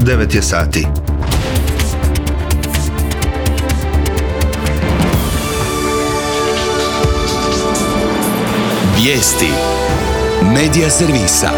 9 je sati. Vijesti Medija servisa.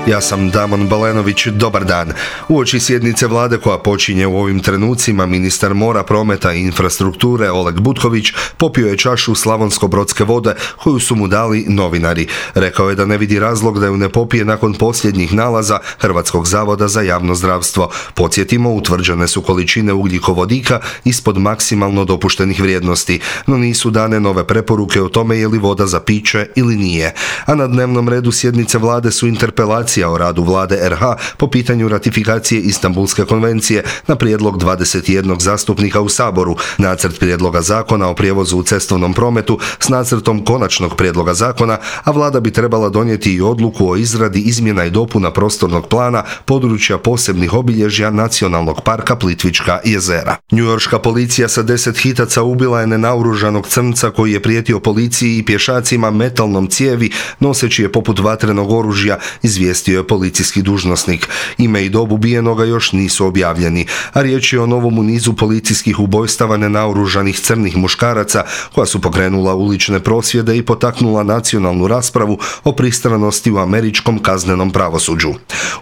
Ja sam Damon Balenović, dobar dan. Uoči sjednice vlade koja počinje u ovim trenucima, ministar mora, prometa i infrastrukture Oleg Butković popio je čašu slavonsko-brodske vode koju su mu dali novinari. Rekao je da ne vidi razlog da ju ne popije nakon posljednjih nalaza Hrvatskog zavoda za javno zdravstvo. Podsjetimo, utvrđene su količine ugljikovodika ispod maksimalno dopuštenih vrijednosti, no nisu dane nove preporuke o tome je li voda za piće ili nije. A na dnevnom redu sjednice vlade su interpelacije o radu vlade RH po pitanju ratifikacije Istanbulske konvencije na prijedlog 21 zastupnika u Saboru, nacrt prijedloga zakona o prijevozu u cestovnom prometu s nacrtom konačnog prijedloga zakona, a vlada bi trebala donijeti i odluku o izradi izmjena i dopuna prostornog plana područja posebnih obilježja Nacionalnog parka Plitvička jezera. Njujorška policija sa 10 hitaca ubila je nenaoružanog crnca koji je prijetio policiji i pješacima metalnom cijevi noseći je poput vatrenog oružja, izvijestio je policijski dužnosnik. Ime i dob ubijenoga još nisu objavljeni, a riječ je o novom u nizu policijskih ubojstava nenaoružanih crnih muškaraca koja su pokrenula ulične prosvjede i potaknula nacionalnu raspravu o pristranosti u američkom kaznenom pravosuđu.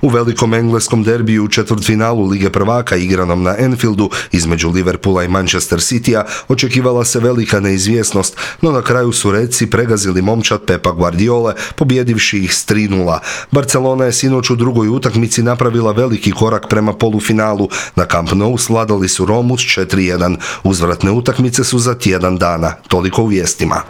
U velikom engleskom derbiju u četvrtfinalu Lige prvaka igranom na Anfieldu između Liverpoola i Manchester Citya očekivala se velika neizvjesnost, no na kraju su Redsi pregazili momčad Pepa Guardiole, pobjedivši ih s 3:0. Barcelona je sinoć u drugoj utakmici napravila veliki korak prema polufinalu. Na Camp Nou svladali su Romu s 4:1. Uzvratne utakmice su za tjedan dana. Toliko u vijestima.